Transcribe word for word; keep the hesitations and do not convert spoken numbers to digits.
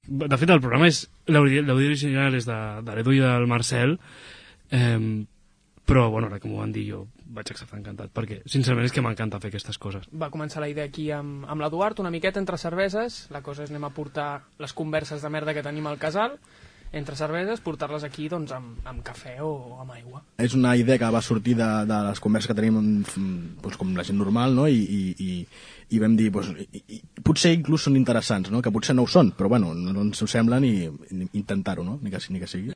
De fet, el programa és... L'àudio original és de, de l'Edu i del Marcel, eh, però, bueno, ara que m'ho van dir jo vaig acceptar encantat, perquè, sincerament, és que m'encanta fer aquestes coses. Va començar la idea aquí amb, amb l'Eduard, una miqueta entre cerveses. La cosa és anem a portar les converses de merda que tenim al casal, entre cerveses, portar-les aquí doncs, amb, amb cafè o amb aigua. És una idea que va sortir de, de les converses que tenim doncs, com la gent normal, no? I, i, i, i vam dir, doncs, i, i, potser inclús són interessants, no? Que potser no ho són, però bueno, no ens ho semblen i, i intentar-ho, no? Ni que, ni que sigui.